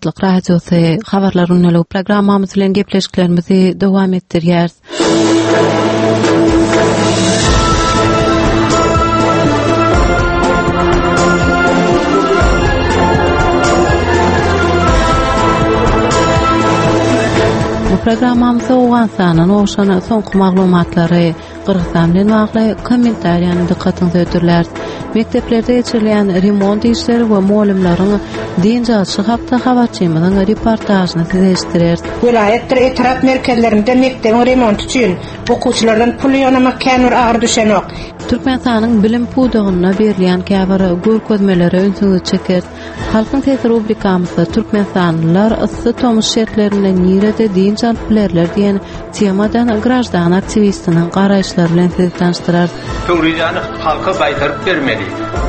Azatlyk Radiosy Habarlar gündeligi programmamyz bilen gepleşiklerimizi dowam etdirýäris. Bu programmamyzda Owganystandan gowşan soňky maglumatlary Gyrgyzstan bilen bagly kommentariýany dykgatyňyza hödürläris. Mekdeplerde geçirilýän remont işleri we mugallymlaryň dynç alşy hakda habarçymyzyň reportažyny size eşitdireris. Welaýatdyr etrap merkezlerinde mekdebiň remonty üçin okuwçylardan pul ýygnamak kän bir agyr düşenok. Türkmenistanyň bilim pudagynda berilýän käbir görkezmelere ünsüňizi çekeris. Halkyň sesi rubrikamyzda Türkmenistanlylar yssy tomus şertlerinde nirede dynç alyp bilerler diýen temadan graždan aktiwistiniň garaýyşlary bilen sizi tanyşdyrarys. Pöwrizäni halka gaýtaryp bermeli.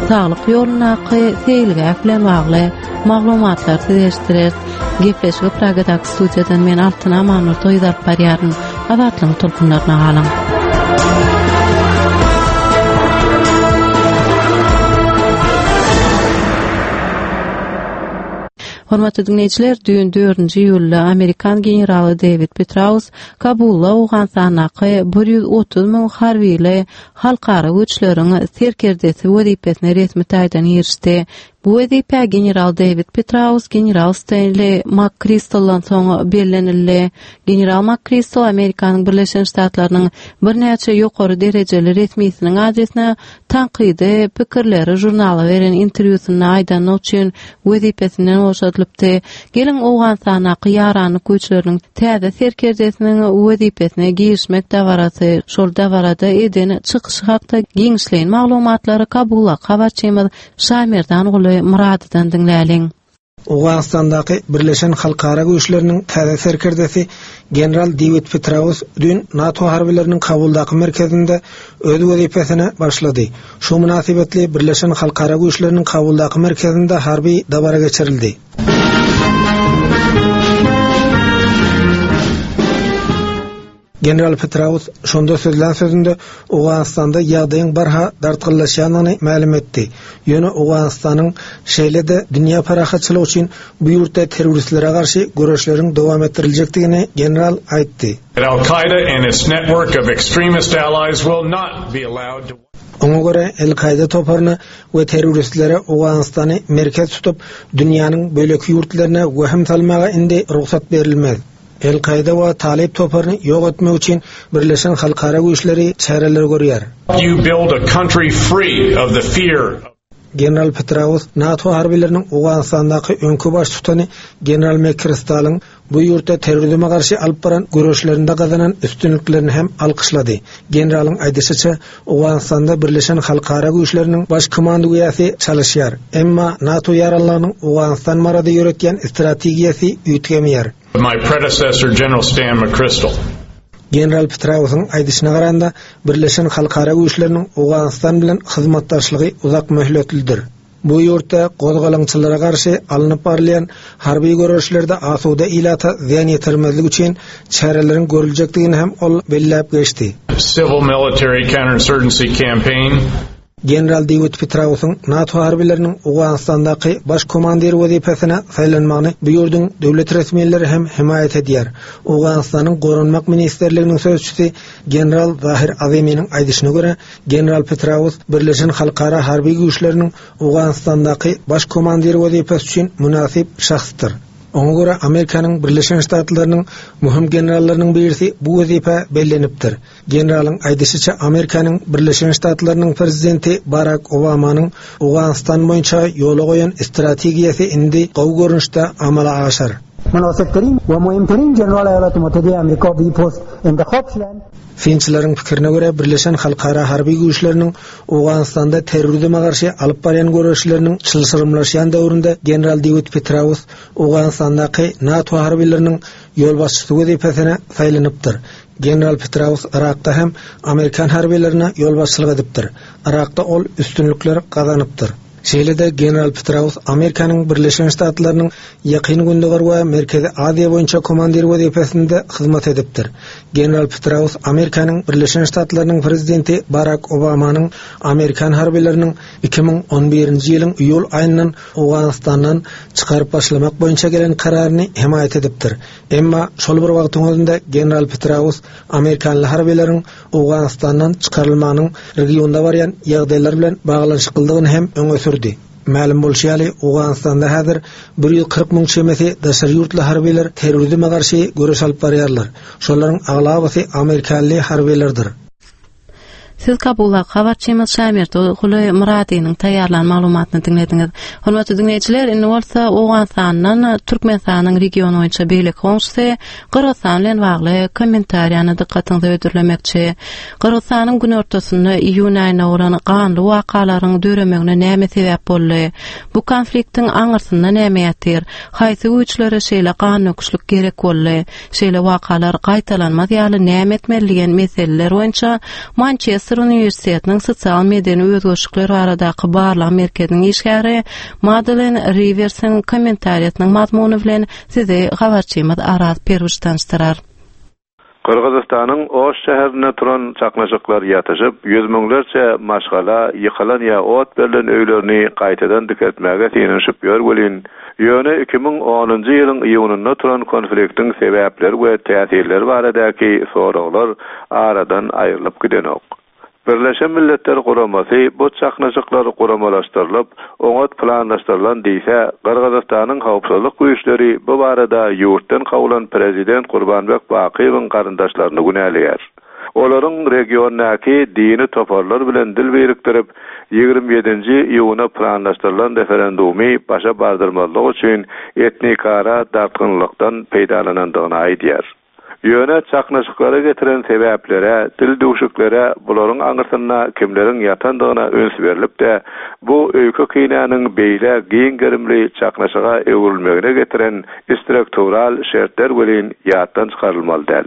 Saglyk ýolundaky seýilgäh bilen bagly maglumatlary size eşitdireris. Gepleşigi Pragadaky studiýadan men Altyn Amanurdy gyz alyp barýaryn. Azatlygyň tolkunlaryna galyň. Hormatly diňleýjiler, düýn 4-nji iýulda amerikan generaly Dewid Petraus Kabulda Owganystandaky 130 müň harbyly halkara güýçleriň serkerdesi wezipesine resmi taýdan girişdi. Bu wezipä general Dewid Petraus general Stenli MakKristaldan soň bellenildi. General MakKristal Amerikanyň Birleşen Ştatlarynyň birnäçe ýokary derejeli resmisiniň adresine tankydy pikirleri žurnala beren interwýusynda aýdanlygy üçin wezipesinden boşadylypdy. Geliň, Owganystandaky ýaranlyk güýçleriniň täze serkerdesiniň wezipesine girişmek dabarasy, şol dabarada eden çykyşy hakda giňişleýin maglumatlary Kabuldaky habarçymyz Şamerdanguly Myradydan diňläliň. Owganystandaky Birleşen halkara güýçleriniň täze serkerdesi general Dewid Petraeus düýn NATO harbylarynyň Kabuldaky merkezinde öz wezipesine başlady. Şu mynasybetli Birleşen halkara güýçleriniň Kabuldaky merkezinde harby dabara geçirildi. General Petraeus şonda sözlän sözünde Owganystanda ýagdaýyň barha dartgynlaşýandygyny mälim etdi. Ýöne Owganystanyň, şeýle-de dünýä parahatçylygy üçin bu ýurtda terroristlere garşy göreşleriň dowam etdiriljekdigini general aýtdy. Al-Kaida and its network of extremist allies will not be allowed to. Oňa görä, El-Kaida toparyna we terroristlere Owganystany merkez tutup, dünýäniň beýleki ýurtlaryna wehim salmaga indi rugsat berilmez. El-Kaýda we Talyp toparyny ýok etmek üçin birleşen halkara güýçleri çäreler görýär. You build a country free of the fear of. General Petraeus NATO harbylarynyň Owganystandaky öňki baştutany general McChristalyň bu ýurtda terrorizme garşy alyp baran göreşlerinde gazanan üstünliklerini hem alkyşlady. Generalyň aýdyşyça, Owganystanda birleşen halkara güýçleriniň baş komandowýasy çalyşýar, emma NATO ýaranlygynyň Owganystan barada ýöretýän strategiýasy üýtgemeýär. My predecessor General Stan McChrystal. General Petraeusyň aýdyşyna garanda, birleşen halkara güýçleriniň Owganystan bilen hyzmatdaşlygy uzak möhletlidir. Bu ýurtda gozgalaňçylara garşy alnyp barylýan harby göreşlerde asuda ilata zyýan ýetirmezlik üçin çäreleriň görüljekdigini hem ol belläp geçdi. Civil-military counterinsurgency campaign. General Dewid Petrausyň NATO harbylarynyň Owganystandaky baş komandiri wezipesine saýlanmagyny bu ýurduň döwlet resmileri hem hemaýat edýär. Owganystanyň Goranmak ministrliginiň sözçüsi general Zahir Aziminiň aýdyşyna görä, general Petraus Birleşen halkara harby güýçleriniň Owganystandaky baş komandiri wezipesi üçin mynasyp şahsdyr. Oňa görä, Amerikanyň Birleşen Ştatlarynyň möhüm generallarynyň birisi bu wezipä bellenipdir. Generalyň aýdyşyça, Amerikanyň Birleşen Ştatlarynyň prezidenti Barak Obamanyň Owganystan boýunça ýola goýan strategiýasy indi gowy görnüşde amala aşar. Mynasypterin we muhimterin general Aýalat Mutahide Amerika bi post intihap şudan. Synçylaryň pikirine görä, Birleşen halkara harby güýçleriniň Owganystanda terrorizme garşy alyp barýan göreşleriniň çylşyrymlaşýan döwründe general Dewid Petraeus Owganystandaky NATO harbylarynyň ýolbaşçysy wezipesine saýlanypdyr. General Petraeus Yrakda hem amerikan harbylaryna ýolbaşçylyk edipdir. Yrakda ol üstünlikler gazanypdyr. Şeýle-de general Petraus Amerikanyň Birleşen Ştatlarynyň Ýakyn Gündogar we Merkezi Aziýa boýunça komandiri wezipesinde hyzmat edipdir. General Petraus Amerikanyň Birleşen Ştatlarynyň prezidenti Barak Obamanyň amerikan harbylarynyň 2011-nji ýylyň iýul aýyndan Owganystandan çykaryp başlamak boýunça gelen kararyny hemaýat edipdir. Emma şol bir wagtyň özünde general Petraus amerikanly harbylaryň Owganystandan çykarylmagynyň regionda barýan ýagdaýlar bilen baglanyşyklydygyny hem öňe sürdi. Mälim bolşy ýaly, Owganystanda häzir 140 müň çemesi daşary ýurtly harbylar terrorizme garşy göreş alyp barýarlar. Şolaryň aglabasy amerikanly harbylardyr. Siz Kabuldaky habarçymyz Şamerdi Guly Myradynyň taýýarlan maglumatyny diňlediňiz. Hormatly diňleýjiler, indi bolsa Owganystandan Türkmenistanyň region boýunça beýleki goňşusy Gyrgyzystan bilen bagly kommentariýany dykgatyňyza hödürlemekçi. Gyrgyzystanyň günortasynda iýun aýynda bolan ganly wakalaryň döremegine näme sebäp boldy? Bu konfliktiň aňyrsynda näme ýatyr? Haýsy güýçlere şeýle gandöküşlik gerek boldy? Şeýle wakalar gaýtalanmaz ýaly näme etmeli diýen meseleler boýunça Mançester uniwersitetiniň sosial-medeni özgerişikler baradaky barlag merkeziniň işgäri Madelen Riwersiň kommentariýasynyň mazmuny bilen sizi habarçymyz Araz Perwiç tanyşdyrar. Gyrgyzystanyň Oş şäherinde turan çaknyşyklar ýatyşyp, ýüz müňlerçe maşgala ýykylan ýa ot berlen öýlerini gaýtadan dikeltmäge synanyşyp ýör welin, Ýöne 2010-njy ýylyň iýunynda turan konfliktiň sebäpleri we täsirleri baradaky soraglar aradan aýrylyp gidenok. Birleşen Milletler Guramasy bu çaknyşyklar guramalaşdyrylyp, oňat planlaşdyrylan diýse, Gyrgyzystanyň howpsuzlyk güýçleri bu barada ýurtdan kowlan prezident Kurbanbek Bakyýewiň garyndaşlaryny günäleýär. Olaryň regiondaky dini toparlar bilen dil birikdirip, 27-nji iýuna planlaşdyrylan referendumy başa bardyrmazlyk üçin etnikara dartgynlykdan peýdalanandygyny aýdýar. Ýöne çaknyşyklara getiren sebäplere, dildüwşüklere, bularyň aňyrsynda kimleriň ýatandygyna üns berlip-de, bu öýke-kinäniň beýle giň gerimli çaknyşyga öwrülmegine getiren struktural şertler welin ýatdan çykarylmaly däl.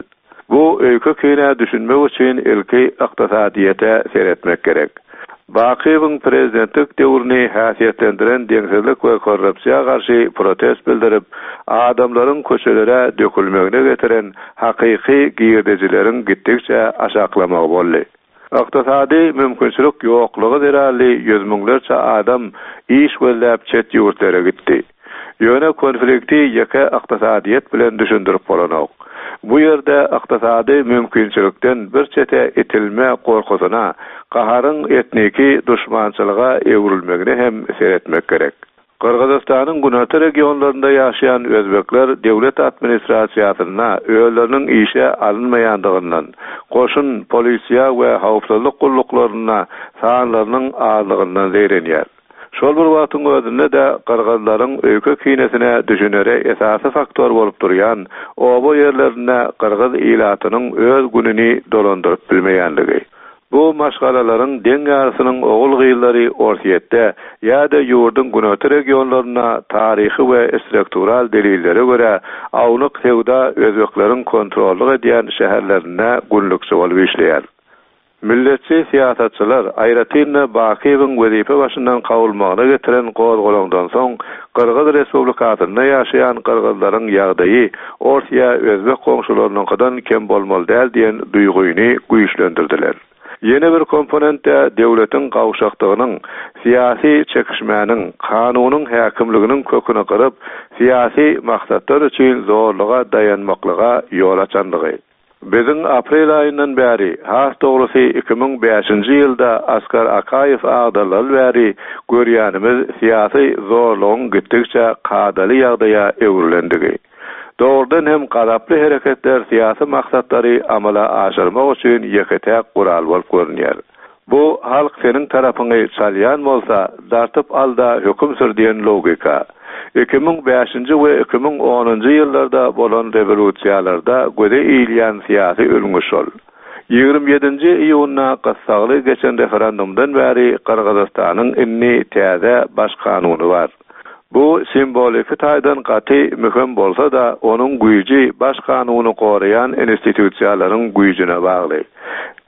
Bu öýke-kinä düşünmek üçin ilki ykdysadyýete seretmek gerek. Bakyýewiň prezidentlik döwrüni häsiýetlendiren deňsizlik we korrupsiýa garşy protest bildirip, adamlaryň köçelere dökülmegine getiren hakyky girdejileriň gitdikçe aşaklamagy boldy. Ykdysady mümkinçilik ýoklugy zerarly ýüz müňlerçe adam iş gözläp çet ýurtlara gitdi. Ýöne konflikti ýeke ykdysadyýet bilen düşündirip bolanok. Bu ýerde ykdysady mümkinçilikden bir çete itilme gorkusyna, gaharyň etniki duşmançylyga öwrülmegine hem seretmek gerek. Gyrgyzystanyň günorta regionlarynda ýaşaýan özbekler döwlet administrasiýasynda özleriniň işe alynmaýandygyndan, goşun, polisiýa we howpsuzlyk gulluklarynda sanlarynyň azlygyndan zeýrenýär. Şol bir wagtyň özünde-de gyrgyzlaryň öýke-kinesine düşünere esasy faktor bolup durýan oba ýerlerinde gyrgyz ilatynyň öz gününi dolandyryp bilmeýänligi. Bu maşgalalaryň deň ýarysynyň ogul-gyzlary Orsýetde ýa-da ýurduň günorta regionlarynda taryhy we struktural delillere görä ownuk söwda özbekleriň kontrollyk edýän şäherlerinde günlükçi bolup işleýär. Milletçi syýasatçylar, aýratyn-da Bakyýewiň wezipe başyndan kowulmagyna getiren gozgalaňdan soň Gyrgyz Respublikasynda ýaşaýan gyrgyzlaryň ýagdaýy ors ýa özbek goňşularynyňkydan kem bolmaly däl diýen duýgyny güýçlendirdiler. Ýene bir komponent-de döwletiň gawşakdygynyň, syýasy çekişmäniň, kanunyň häkimliginiň köküni gyryp, syýasy maksatlar üçin zorluga daýanmaklyga ýol açanlygy. Biziň aprel aýyndan bäri, has dogrusy 2005-nji ýylda Askar Akaýew agdarylaly bäri görýänimiz syýasy zorlugyň gitdikçe kadaly ýagdaýa öwrülendigi. Dogrudan hem gazaply hereketler syýasy maksatlary amala aşyrmak üçin ýeke-täk gural bolup görünýär. Bu halk seniň tarapyňy çalýan bolsa, dartyp al-da höküm sür diýen logika. 2005-nji we 2010-njy ýyllarda bolan rewolýusiýalarda göze ilýän syýasy ülňi şol. 27-nji iýunda gyssagly geçen referendumdan bäri Gyrgyzystanyň indi täze Baş kanuny bar. Bu simwoliki taýdan gaty möhüm bolsa-da, onuň güýji Baş kanuny goraýan institusiýalaryň güýjüne bagly.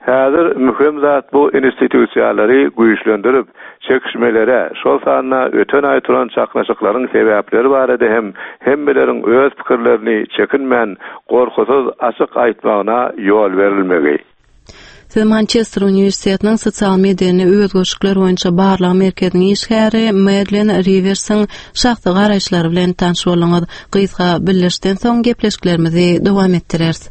Häzir möhüm zat bu institusiýalary güýçlendirip, çekişmelere, şol sanda öten aý turan çaknyşyklaryň sebäpleri barada hem hemmeleriň öz pikirlerini çekinmän, gorkusyz, açyk aýtmagyna ýol berilmegi. Siz Mançester uniwersitetiniň sosial-medeni özgerişikler boýunça barlag merkeziniň işgäri Medlin Riwersiň şahsy garaýyşlary bilen tanyş bolduňyz. Gysga bildirişden soň gepleşiklerimizi dowam etdireris.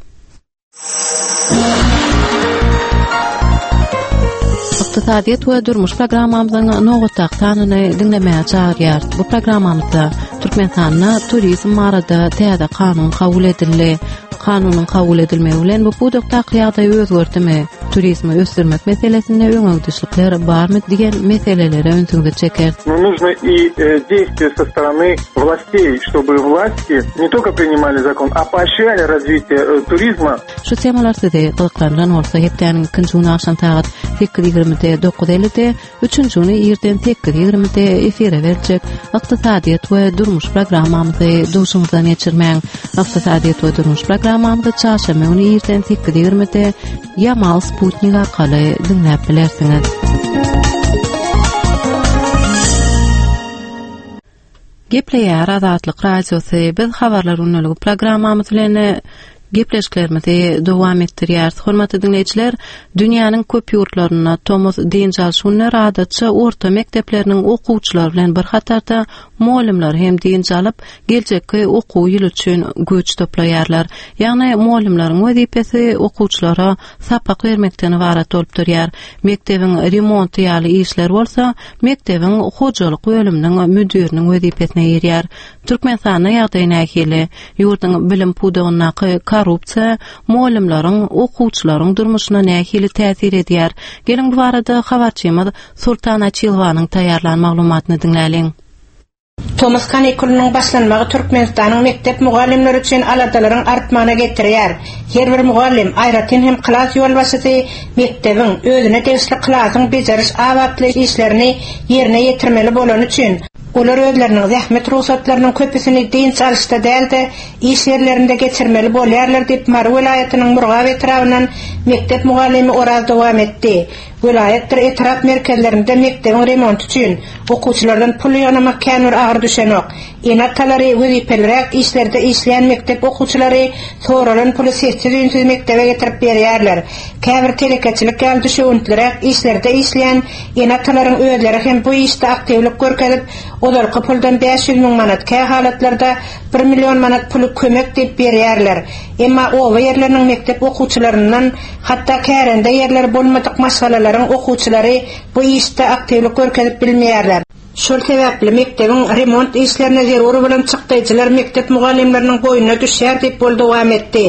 Ykdysadyýet we durmuş programmamyzyň nobatdaky sanyny diňlemäge çagyrýarys. Bu programmamyzda Türkmenistanda turizm barada täze kanun kabul edildi. Kanunyň kabul edilmegi bilen bu pudakdaky ýagdaý özgerdimi? Turizmi ösdürmek meselesinde öňegidişlikler barmy diýen meselelere ünsüňizi çekeris. Но нужно и э, действия со стороны властей, чтобы власти не только принимали закон, а поощряли развитие э, туризма. Şu temalar sizi gyzyklandyran bolsa hepdäniň ikinji güni agşam sagat 8:20-de 9:50-de Üçünji güni irden 8.20-de efire beriljek Ykdysadyýet we durmuş programmamyzy duşuňyzdan geçirmäň. Ykdysadyýet we durmuş programmamyzy çarşenbe güni irden 8.20-de Ýamal Sputnik arkaly diňläp bilersiňiz. Gepleýär Azatlyk Radiosy. Biz habarlar gündeligi programmamyz bilen gepleşiklerimizi dowam etdirýäris. Hormatly diňleýjiler, dünýäniň köp ýurtlarynda tomus dynç alyş günleri adatça orta mekdepleriniň okuwçylary bilen bir hatarda mugallymlar hem dynç alyp, geljekki okuw ýyly üçin güýç toplaýarlar. Ýagny mugallymlaryň wezipesi okuwçylara sapak bermekden ybarat bolup durýar. Mekdebiň remonty ýaly işler bolsa mekdebiň hojalyk bölüminiň müdiriniň wezipesine girýär. Türkmenistanda ýagdaý nähili? Ýurduň bilim pudagyndaky korrupsiýa mugallymlaryň, okuwçylaryň durmuşyna nähili täsir edýär? Geliň bu barada habarçymyz Sultan Açylowanyň taýýarlan maglumatyny diňläliň. Tomus kanikulynyň başlanmagy Türkmenistanyň mekdep mugallymlary üçin aladalaryň artmagyna getirýär. Her bir mugallym, aýratyn hem klas ýolbaşçysy mekdebiň, özüne degişli klasyň bejeriş-abatlaýyş işlerini ýerine ýetirmeli bolany üçin, olar özleriniň zähmet rugsatlarynyň köpüsini dynç alyşda däl-de, iş ýerlerinde geçirmeli bolýarlar diýip, Mary welaýatynyň Murgap etrabyndan mekdep mugallymy Oraz dowam etdi. Welaýatdyr etrap merkezlerinde mekdebiň remonty üçin okuwçylardan pul ýygnamak kän bir agyr düşenok. Ene-atalary wezipeliräk işlerde işleýän mekdep okuwçylary soralan puly sessiz-üýnsüz mekdebe getirip berýärler. Käbir telekeçilik ýaly düşewüntliräk işlerde işleýän ene-atalaryň özleri hem bu işde aktiwlik görkezip, ozalky puldan 500 müň manat, kähalatlarda bir million manat puly kömek diýip berýärler. Emma oba ýerleriniň mekdep okuwçylaryndan Hatda kärende ýerleri bolmadyk maşgalalaryň okuwçylary bu işde aktiwlik görkezip bilmeýärler. Şol sebäpli mekdebiň remont işlerine zerur bolan çykdaýjylar mekdep mugallymlarynyň boýnuna düşýär diýip, ol dowam etdi.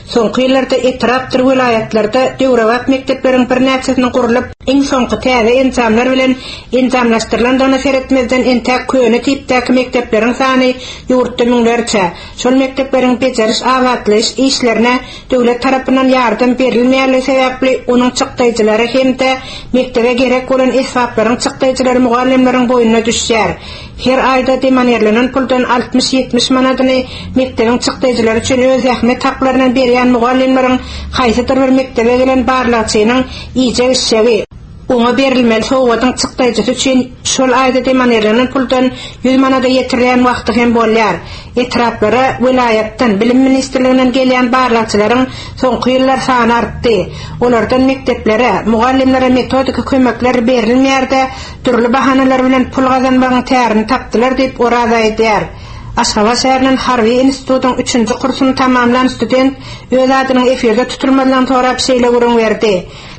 Soňky ýyllarda etrapdyr welaýatlarda döwrebap mekdepleriň birnäçesiniň gurlup, iň soňky täze enjamlar bilen enjamlaşdyrylandygyna seretmezden entäk köne tipdäki mekdepleriň sany ýurtda müňlerçe. Şol mekdepleriň bejeriş-abatlaýyş işlerine Döwlet tarapyndan ýardam berilmeýänligi sebäpli onuň çykdaýjylary hem-de mekdebe gerek bolan esbaplaryň çykdaýjylary mugallymlaryň boýnuna düşýär. Her aýda demonirlenen puldan altmyş-ýetmiş manadyny mekdebiň çykdaýjylary üçin öz zähmet haklaryndan berýän mugallymlaryň haýsydyr bir mekdebe gelen barlagçynyň iýjek-içjegi, Oňa berilmeli sowgadyň çykdaýjysy üçin şol aýda demonirlenen puldan ýüz manada ýetirilýän wagty hem bolýar. Etraplara welaýatdan, Bilim ministrliginden gelýän barlagçylaryň soňky ýyllar sany artdy. Olardan mekdeplere, mugallymlara metodiki kömekler berilmeýär-de, dürli bahanalar bilen pul gazanmagyň tärini tapdylar diýip, Oraz aýdýar. Aşgabat şäherinden harby institutyň üçünji kursuny tamamlan student öz adynyň efirde tutulmazlygyny sorap şeýle gürrüň berdi.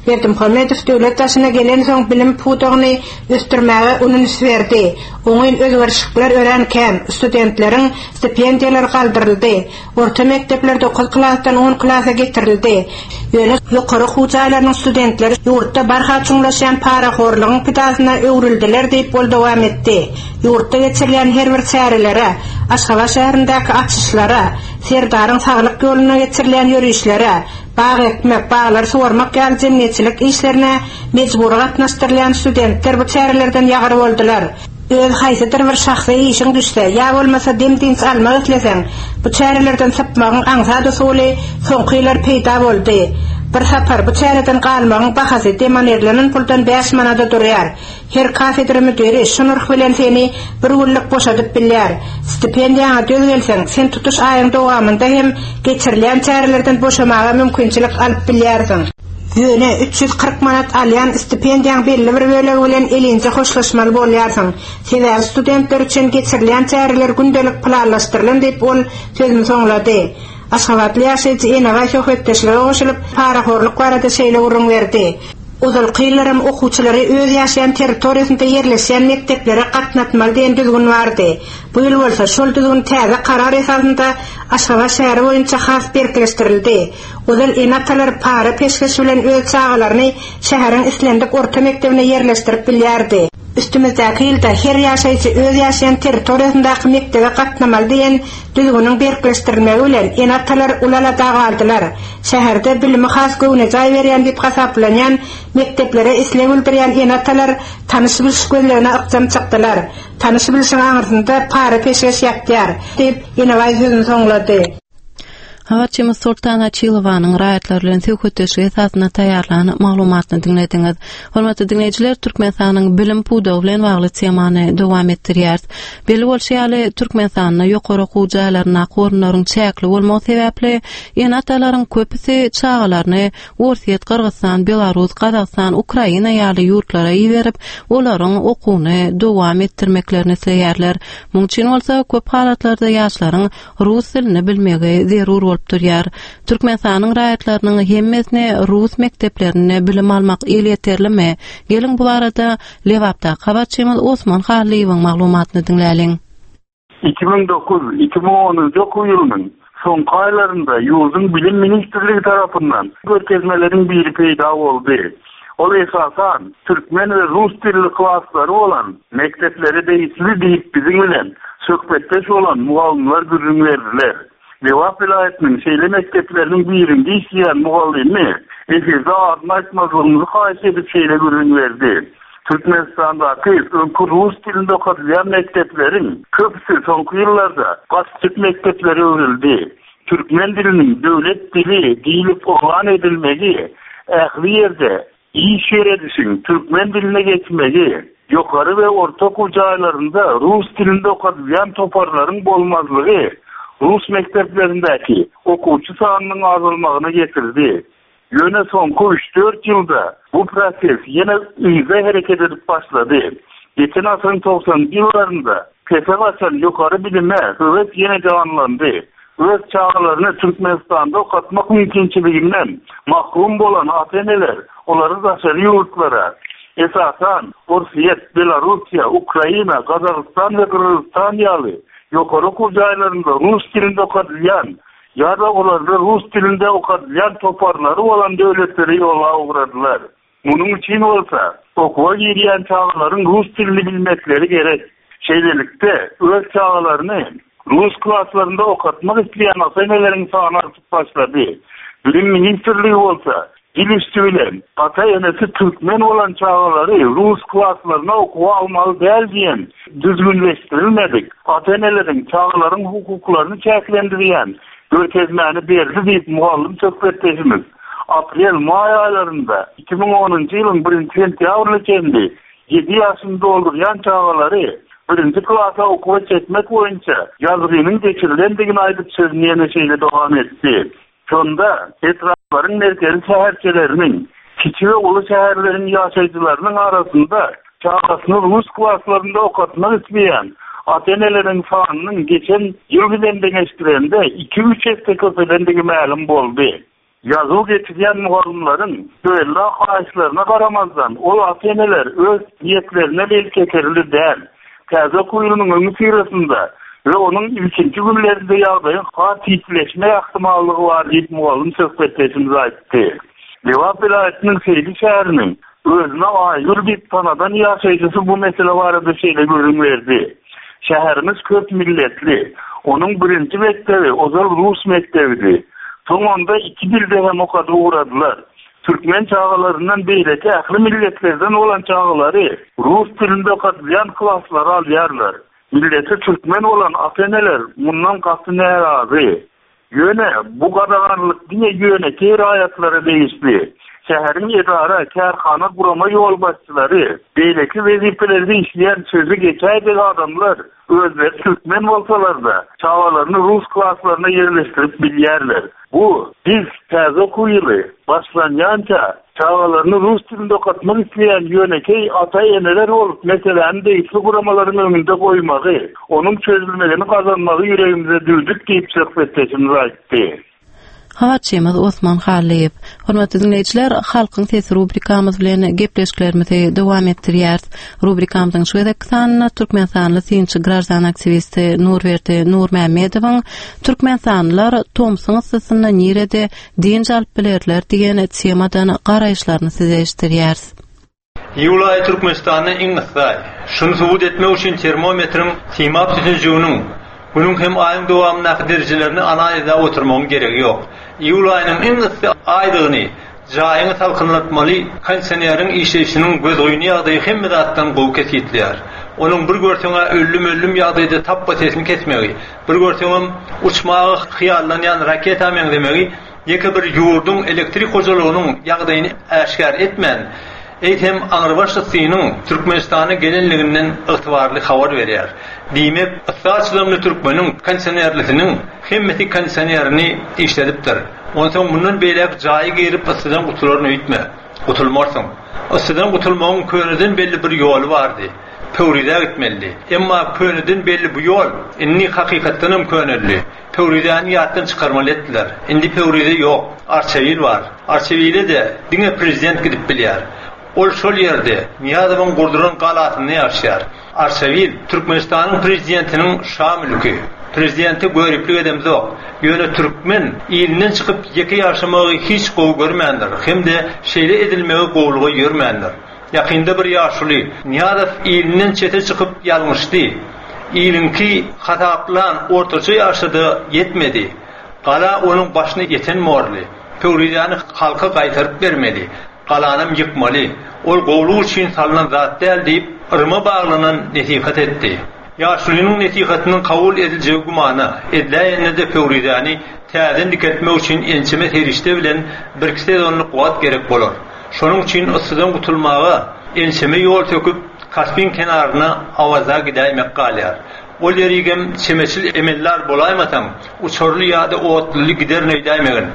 Berdimuhamedow döwlet başyna gelensoň bilim pudagyny ösdürmäge uly üns berdi. Oňyn özgerişlikler örän kän, studentleriň stipendiýalary galdyryldy, orta mekdepler dokuz klasdan on klasa getirildi. Ýöne ýokary okuw jaýlarynyň studentleri ýurtda barha çuňlaşýan parahorlugyň pidasyna öwrüldiler diýip, ol dowam etdi. Ýurtda geçirilýän her bir çärelere, Aşgabat şäherindäki açyşlara, Serdaryň saglyk ýolunda geçirilýän ýörişlere, Bag ekmek, baglary suwarmak ýaly jemgyýetçilik işlerine mejbury gatnaşdyrylýan studentler bu çärelerden ýagyr boldular. Öz haýsydyr bir şahsy işiň düşse, ýa bolmasa dem-dynç almak isleseň, bu çärelerden sypmagyň aňsat usuly soňky ýyllar peýda boldy. Bir sapar bu çäreden galmagyň bahasy demonirlenen puldan bäş manada durýar. Her kafedra müdiri şu nyrh bilen seni bir günlük boşadyp bilýär. Stipendiýaňa döz gelseň, sen tutuş aýyň dowamynda hem geçirilýän çärelerden boşamaga mümkinçilik alyp bilýärsiň. Ýöne 340 manat alýan stipendiýaň belli bir bölegi bilen elinje hoşlaşmaly bolýarsyň. Sebäbi studentler üçin geçirilýän çäreler gündelik planlaşdyrylan diýip, ol sözüni soňlady. Aşgabatly ýaşaýjy Enebaý söhbetdeşlige goşulyp, parahorluk barada şeýle gürrüň berdi. Ozalky ýyllaram okuwçylary öz ýaşaýan territoriýasynda ýerleşýän mekdeplere gatnatmaly diýen düzgün bardy. Bu ýyl bolsa şol düzgün täze karar esasynda Aşgabat şäheri boýunça has berkleşdirildi. Ozal ene-atalar para-peşgeş bilen öz çagalaryny şäheriň islendik orta mekdebine ýerleşdirip bilýärdi. Üstümizdäki ýylda her ýaşaýjy öz ýaşaýan territoriýasyndaky mekdebe gatnamaly diýen düzgüniň berkleşdirilmegi bilen, ene-atalar uly alada galdylar. Şäherde bilimi has göwnejaý berýän diýip hasaplanýan mekdeplere isleg bildirýän ene-atalar tanyş-biliş gözlegine ykjam çykdylar. Tanyş-bilişiň aňyrsynda para-peşgeş ýatýar, diýip, Enebaý sözüni soňlady. Habarçymyz Soltan Açylowanyň raýatlar bilen söhbetdeşlik esasynda taýýarlan maglumatyny diňlediňiz. Hormatly diňleýjiler, Türkmenistanyň bilim pudagy bilen bagly temany dowam etdirýäris. Belli bolşy ýaly, Türkmenistanda ýokary okuw jaýlaryndaky orunlaryň çäkli bolmagy sebäpli ene-atalaryň köpüsi çagalaryny Orsýet, Gyrgyzystan, Belarus, Gazagystan, Ukraina ýaly ýurtlara iberip, olaryň okuwyny dowam etdirmeklerini isleýärler. Munuň üçin bolsa köp halatlarda ýaşlaryň rus dilini bilmegi zerur bolup durýar. Türkmenistanyň raýatlarynyň hemmesine rus mekdeplerinde bilim almak elýeterlimi? Geliň bu barada Lebapdaky habarçymyz Osman Hallyýewiň maglumatyny diňläliň. 2009, 2010-njy okuw ýylynyň soňky aýlarynda ýurduň Bilim ministrligi tarapyndan görkezmeleriň biri peýda boldy. Ol esasan türkmen we rus dilli klaslary bolan mekdeplere degişli diýip biziň bilen söhbetdeş bolan mugallymlar gürrüň berdiler. Lebap welaýatynyň şeýle mekdepleriniň birinde işleýän mugallymy efirde adyny aýtmazlygymyzy haýyş edip şeýle gürrüň berdi, Türkmenistandaky öňki rus dilinde okadylýan mekdepleriň köpüsi soňky ýyllarda gaçjyk mekdeplere öwrüldi. Türkmen diliniň döwlet dili diýlip yglan edilmegi, ähli ýerde iş ýöredişiň türkmen diline geçmegi, ýokary we orta okuw jaýlarynda rus dilinde okadylýan toparlaryň bolmazlygy rus mekdeplerindäki okuwçy sanynyň azalmagyna getirdi. Ýöne soňky üç-dört ýylda bu proses ýene yza hereket edip başlady. Geçen asyryň togsanynjy ýyllarynda pese gaçan ýokary bilime höwes ýene janlandy. Öz çagalaryny Türkmenistanda okatmak mümkinçiliginden mahrum bolan ata-eneler olary daşary ýurtlara, esasan, Orsýet, Belarussiýa, Ukraina, Gazagystan we Gyrgyzystan ýaly ýokary okuw jaýlarynda rus dilinde okadylýan ýa-da olarda rus dilinde okadylýan toparlary bolan döwletlere ýola ugradylar. Munuň üçin bolsa, okuwa girýän çagalaryň rus dilini bilmekleri gerek. Şeýlelikde, öz çagalaryny rus klaslarynda okatmak isleýän ata-eneleriň sany artyp başlady. Bilim ministrligi bolsa, Dil üsti bilen, ata-enesi türkmen bolan çagalary rus klaslaryna okuwa almaly däl diýen düzgünleşdirilmedik, ata-eneleriň çagalaryň hukuklaryny çäklendirýän görkezmäni berdi diýip, mugallym söhbetdeşimiz aprel-maý aýlarynda 2010-njy ýylyň birinji sentýabryna çenli ýedi ýaşyny doldurýan çagalary birinji klasa okuwa çekmek boýunça ýazgynyň geçirilendigini aýdyp sözüni ýene şeýle dowam etdi. Şonda etraplaryň merkezi şäherçeleriniň, kiçi we uly şäherleriň ýaşaýjylarynyň arasynda çagasyny rus klaslarynda okatmak isleýän ata-eneleriň sanynyň geçen ýyl bilen deňeşdirende iki-üç esse köpelendigi mälim boldy. Ýazuw geçirýän mugallymlaryň töwella haýyşlaryna garamazdan, ol ata-eneler öz niýetlerine elýeterli däl. Täze okuw ýylynyň öňüsyrasynda we onuň ilkinji günlerinde ýagdaýyň has ýitileşme ähtimallygy bar diýip, mugallym söhbetdeşimiz aýtdy. Lebap welaýatynyň Seýdi şäheriniň özüni Aýgül diýip tanadan ýaşaýjysy bu mesele barada şeýle gürrüň berdi, Şäherimiz köp milletli. Onuň birinji mekdebi ozal rus mekdebidi. Soň onda iki dilde hem okadyp ugradylar. Türkmen çagalaryndan beýleki ähli milletlerden bolan çagalary rus dilinde okadylýan klaslara alýarlar. Milleti türkmen bolan ata-eneler mundan gaty närazy. Ýöne bu gadaganlyk diňe ýönekeý raýatlara degişli. Şäheriň edara, kärhana, gurama ýolbaşçylary, beýleki wezipelerde işleýän sözi geçäýjek adamlar özleri türkmen bolsalar-da, çagalaryny rus klaslaryna ýerleşdirip bilýärler. Bu, biz täze okuw ýyly başlanýança çagalaryny rus dilinde okatmak isleýän ýönekeý ata-eneler bolup meseläni degişli guramalaryň öňünde goýmagy, onuň çözülmegini gazanmagy ýüregimize düwdük diýip söhbetdeşimiz aýtdy. Habarçymyz Osman Hallyýew. Hormatly diňleýjiler, Halkyň sesi rubrikamyz bilen gepleşiklerimizi dowam etdirýäris. Rubrikamyzyň şu gezekki sanynda türkmenistanly synçy graždan aktiwisti Nurberdi Nurmämmedowyň Türkmenistanlylar tomsuň yssysynda nirede dynç alyp bilerler diýen temadan garaýyşlaryny size eşitdirýäris. Iýul aýy Türkmenistanda iň yssy aý. Şuny subut etmek üçin termometriň simap sütünjiginiň Günüň hem aýyň dowamyndaky derejelerini analizläp oturmagyň geregi ýok. Iýul aýynyň iň yssy aýdygyny jaýyňy salkynlatmaly kondisioneriň işleýşiniň gözgyny ýagdaýy hemme zatdan gowy kesgitleýär. Onuň bir görseň-ä öllüm-öllüm ýagdaýda tapba sesini kesmegi, bir görseňem uçmaga hyýallanýan raketa meňzemegi ýeke bir ýurduň elektrik hojalygynyň ýagdaýyny äşgär etmän, eýsem aňrybaş yssynyň Türkmenistana gelenliginden ygtybarly habar berýär. Diýmek, yssa çydamly türkmeniň kondisionerlisiniň hemmesi kondisionerini işledipdir. Onsoň mundan beýläk jaýa girip yssydan gutularyn öýtme. Gutulmarsyň. Yssydan gutulmagyň köneden belli bir ýoly bardy. Pöwrizä gitmelidi. Emma köneden belli bu ýol indi hakykatdanam köneldi. Pöwrizäni ýatdan çykarmaly etdiler. Indi Pöwrize ýok. Arçabil bar. Arçabile-de diňe prezident gidip bilýär. Ol şol ýerde, Nyýazowyň gurduran galasynda ýaşaýar. Arçabil, Türkmenistanyň prezidentiniň şa mülki. Prezidente göriplik edemzok. Ýöne türkmen ilinden çykyp ýeke ýaşamagy hiç gowy görmändir hem-de şeýle edilmegi gowulyga ýörmändir. Ýakynda bir ýaşuly, Nyýazow ilinden çete çykyp ýalňyşdy. Iliňki hasaplan ortaça ýaşa-da ýetmedi. Gala onuň başyna ýeten borly. Pöwrizäni halka gaýtaryp bermeli. Galanam ýykmaly. Ol gowulyk üçin salnan zat däl diýip, yryma baglanan nesihat etdi. Ýaşulynyň nesihatynyň kabul ediljegi gümana, ediläýende-de Pöwrizäni täzeden dikeltmek üçin ençeme serişde bilen birki sezonlyk wagt gerek bolar. Şonuň üçin yssydan gutulmaga ençeme ýol söküp, Kaspiň kenaryna Awaza gidäýmek galýar. Ol ýerigem çemeçil emeldar bolaýmasaň, uçarly ýa-da otluly giderin öýdäýmegin.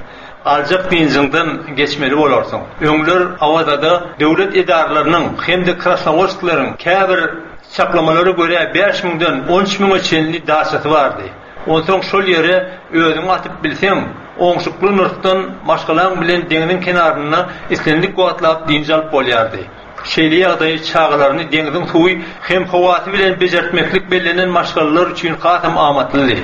Aljak dynjyňdan geçmeli bolarsyň. Öňler Awazada döwlet edaralarynyň hem-de krasnowodskileriň käbir çaklamalara görä bäş müňden on üç müňe çenli daçasy bardy. Onsoň şol ýere özüňi atyp bilseň, oňşukly nyrhdan maşgalaň bilen deňziň kenarynda islendik wagtlap dynç alyp bolýardy. Şeýle ýagdaý çagalaryny deňziň suwy hem howasy bilen bejertmeklik bellenen maşgalalar üçin hasam amatlydy.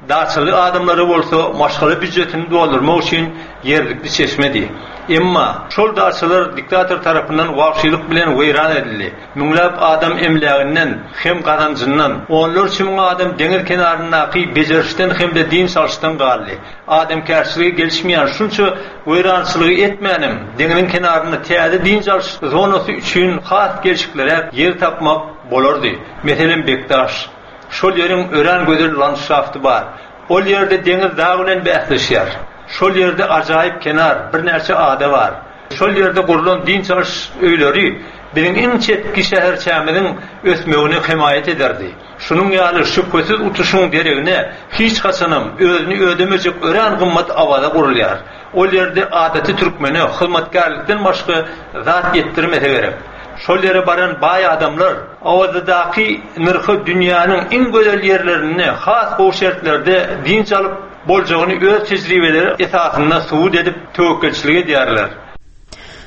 Daçaly adamlara bolsa maşgala býujetini doldurmak üçin ýerlikli çeşmedi. Emma şol daçalar diktator tarapyndan wagşylyk bilen weýran edildi. Müňläp adam emläginden hem gazanjyndan, onlarça müň adam deňiz kenaryndaky bejerişden hem-de dynç alyşdan galdy. Adamkärçilige gelişmeýän şunça weýrançylygy etmänem, deňziň kenarynda täze dynç alyş zonasy üçin has gelşikliräk ýer tapmak bolardy. Meselem, Bekdaş. Şol ýeriň örän gözel landşafty bar. Ol ýerde deňiz dag bilen bäsleşýär. Şol ýerde ajaýyp kenar, birnäçe ada bar. Şol ýerde gurlan dynç alyş öýleri biziň iň çetki şäherçämiziň ösmegine hemaýat ederdi. Şunuň ýaly şübhesiz utuşyň deregine hiç haçanam özüni ödemejek örän gymmat Awaza gurulýar. Ol ýerde adaty türkmene hyzmatkärlikden başga zat ýetdirmese gerek. Şol ýere baran baý adamlar Awazadaky nyrhy dünýäniň iň gözel ýerlerinde has gowy şertlerde dynç alyp boljagyny öz tejribeleri esasynda subut edip töwekgelçilik edýärler.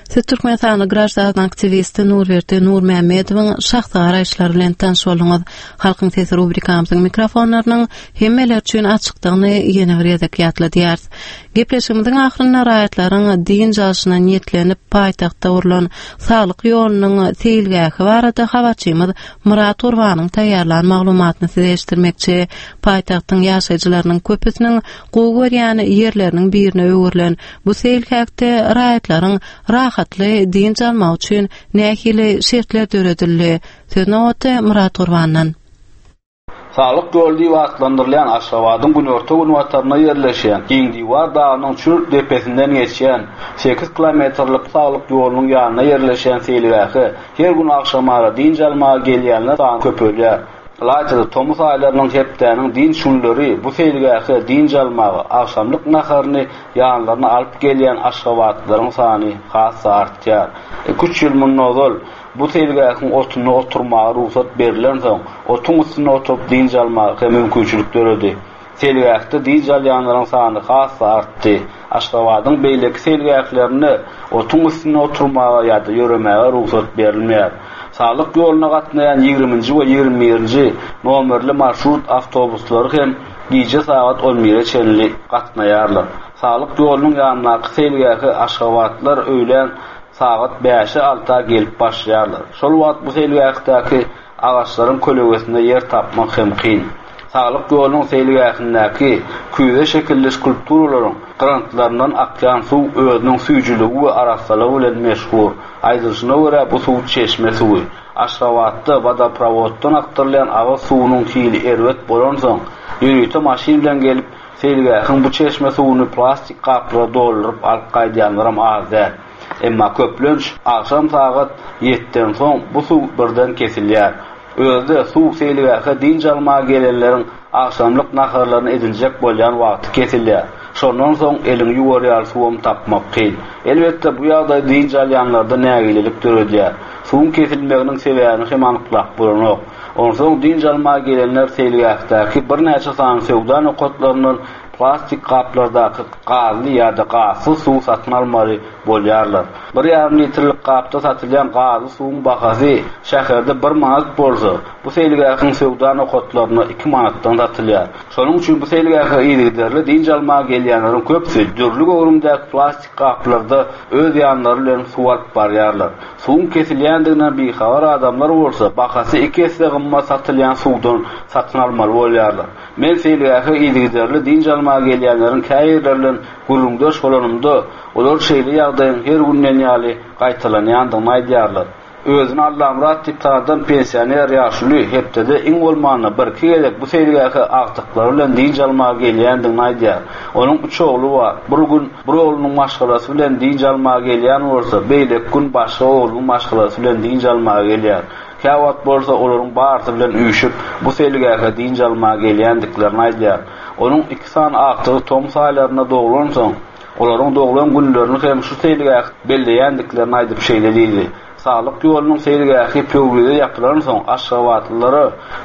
Siz Türkmenistanly graždan aktiwisti Nurberdi Nurmämmedowyň şahsy garaýyşlary bilen tanyş bolduňyz. Halkyň sesi rubrikamyzyň mikrofonlarynyň hemmeler üçin açykdygyny ýene bir gezek ýatladýarys. Gepleşigimiziň ahyrynda raýatlaryň dynç alşyna niýetlenip paýtagtda gurlan Saglyk ýolunyň seýilgähi barada habarçymyz Myrat Gurbanyň taýýarlan maglumatyny size eşitdirmekçi. Paýtagtyň ýaşaýjylarynyň köpüsiniň gowy görýän ýerleriniň birine öwrülen bu seýilgähde raýatlaryň rahatly dynç almagy üçin nähili şertler döredildi? Söz nobaty Myrat Gurbandan. Saglyk ýoly diýip atlandyrylýan Aşgabadyň günorta-günbatarynda ýerleşýän Giňdiwar dagynyň çür depesinden geçýän sekiz kilometrlik Saglyk ýolunyň ýanynda ýerleşýän seýilgähe her gün agşamara dynç almaga gelýänler sany köpelýär. Ylaýta-da tomus aýlarynyň hepdäniň dynç günleri bu seýilgähe dynç almaga, agşamlyk naharyny ýanlaryna alyp gelýän aşgabatlylaryň sany has-da artýar. Iki-üç ýyl mundan ozal bu seýilgähiň otunda oturmaga rugsat berlensoň, otuň üstünde oturyp dynç almaga hem mümkinçilik döredi. Seýilgähde dynç alýanlaryň sany has-da artdy. Aşgabadyň beýleki seýilgählerinde otuň üstünde oturmaga ýa-da ýöremäge rugsat berilmeýär. Saglyk ýoluna gatnaýan ýigriminji we 21-nji nomerli marşrut awtobuslary hem gije sagat on bire çenli gatnaýarlar. Saglyk ýolunyň ýanyndaky seýilgähe aşgabatlylar öýlän sagat bäşe-alta gelip başlaýarlar. Şol wagt bu seýilgähdäki Agaçlaryň kölegesinde ýer tapmak hem kyn. Saglyk ýolunyň seýilgähindäki küýze şekilli skulpturalaryň gyrantlaryndan akýan suw özüniň süýjüligi we arassalygy bilen meşhur. Aýdylyşyna görä, bu suw çeşme suwy. Aşgabatda wodoprowoddan akdyrylýan agyz suwunyň hili erbet bolansoň, ýörite maşyn bilen gelip, seýilgähiň bu çeşme suwuny plastik gaplara dolduryp alyp gaýdýanlaram az däl. Emma köplenç agşam sagat ýetden soň bu suw birden kesilýär. Özi-de suw seýilgähe dynç almaga gelenleriň agşamlyk naharlaryny edinjek bolýan wagty kesilýär. Şondan soň eliňi ýuwar ýaly suwam tapmak kyn. Elbetde, bu ýagdaý dynç alýanlarda nägilelik döredýär. Suwuň kesilmeginiň sebäbini hem anyklap bolanok. Onsoň dynç almaga gelenler seýilgähdäki birnäçe sany söwda nokatlaryndan plastik gaplardaky gazly ýa-da gazsyz suw satyn almaly bolýarlar. Bir ýarym litrlik gapda satylýan gazly suwuň bahasy şäherde bir manat bolsa, bu seýilgähiň söwda nokatlarynda iki manatdan satylýar. Şonuň üçin bu seýilgähe yzygiderli dynç almaga gelýänleriň köpüsi dürli göwrümdäki plastik gaplarda öz ýanlary bilen suw alyp barýarlar. Suwuň kesilýändiginden bihabar adamlar bolsa, bahasy iki esse gymmat satylýan suwdan satyn almaly bolýarlar. Men seýilgähe yzygiderli dynç almaga gelýänleriň käbirleri bilen gürrüňdeş bolanymda, olar şeýle ýagdaýyň her gün diýen ýaly gaýtalanýandygyny aýdýarlar. Özüni Allamyrat diýip tanadan pensioner ýaşuly hepdede iň bolmanda birki gezek bu seýilgähe agtyklary bilen dynç almaga gelýändigini aýdýar. Onuň üç ogly bar. Bir gün bir oglunyň maşgalasy bilen dynç almaga gelýän bolsa, beýleki gün başga oglunyň maşgalasy bilen dynç almaga gelýär. Käwagt bolsa olaryň barysy bilen üýşüp, bu seýilgähe dynç almaga gelýändiklerini aýdýar. Onuň iki sany agtygy tomus aýlarynda doglansoň, olaryň doglan günlerini hem şu seýilgähde belleýändiklerini aýdyp şeýle diýdi, Saglyk ýolunyň seýilgähi Pöwrize ýapylansoň, aşgabatlylara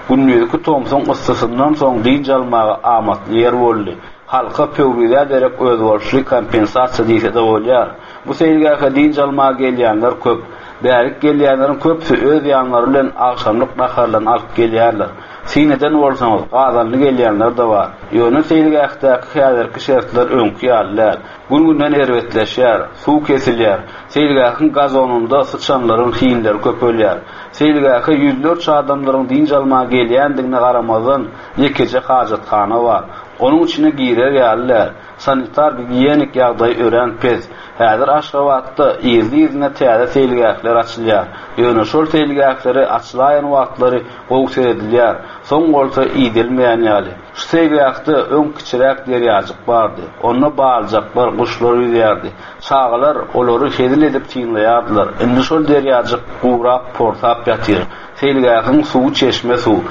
gündizki tomsuň yssysyndan soň dynç almaga amatly ýer boldy. Halka Pöwrizä derek özboluşly kompensasiýa diýse-de bolýar. Bu seýilgähe dynç almaga gelýänler köp. Bärik gelýänleriň köpüsi öz ýanlary bilen agşamlyk naharlaryny alyp gelýärler. Syn eden bolsaňyz, gazanly gelýänler-de bar. Ýöne seýilgähdäki häzirki şertler öňki ýaly däl. Gün-günden erbetleşýär. Suw kesilýär. Seýilgähiň gazonynda syçanlaryň hinleri köpelýär. Seýilgähe ýüzlerçe adamlaryň dynç almaga gelýändigine garamazdan, ýekeje hajathana bar. Onuň içine girer ýaly däl. Sanitar-gigiýenik ýagdaýy örän pes. Häzir Aşgabatda yzly-yzyna täze seýilgähler açylýar. Ýöne şol seýilgählere açylaýan wagtlary gowy seredilýär, soň bolsa idelmeýän ýaly. Şu seýilgähde öň kiçiräk derýajyk bardy. Onda balyjaklar, guşlar ýüzýärdi. Çagalar olary hezil edip synlaýardylar. Indi şol derýajyk gurap, porsap ýatyr. Seýilgähiň suwy çeşme suw.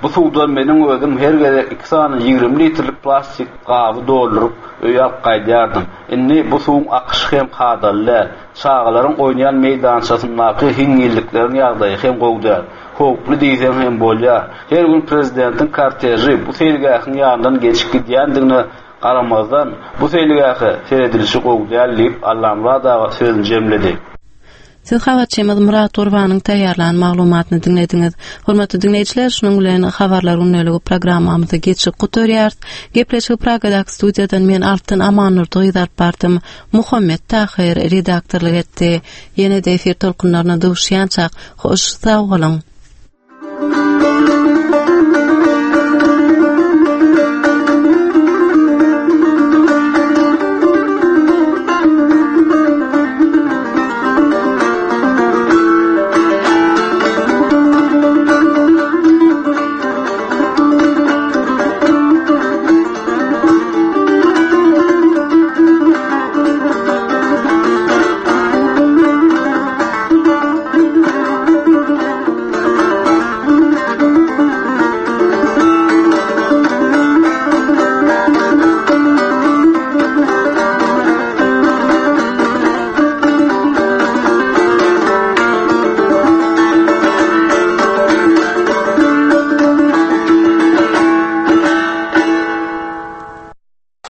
Bu suwdan meniň özüm her gezek iki sany 20 litrlik plastik gaby dolduryp, öýe alyp gaýdýardym. Indi bu suwuň akyşy hem kadaly däl. Çagalaryň oýnaýan meýdançasyndaky hiňňillikleriň ýagdaýy hem gowy däl. Howply diýseň hem bolýar. Her gün prezidentiň korteži bu seýilgähiň ýanyndan geçip gidýändigine garamazdan, bu seýilgähe seredilişi gowy däl diýip, Allamyrat aga sözüni jemledi. Siz habarçymyz Myrat Gurbanyň taýýarlan maglumatyny diňlediňiz. Hormatly diňleýjiler, şunuň bilen Habarlar gündeligi programmamyzy geçip gutarýarys. Gepleşigi Pragadaky studiýadan men Altyn Amandurdy gyz alyp bardym. Muhammet Tahyr redaktorlyk etdi. Ýene-de efir tolkunlaryna duşýançak, hoş sag boluň!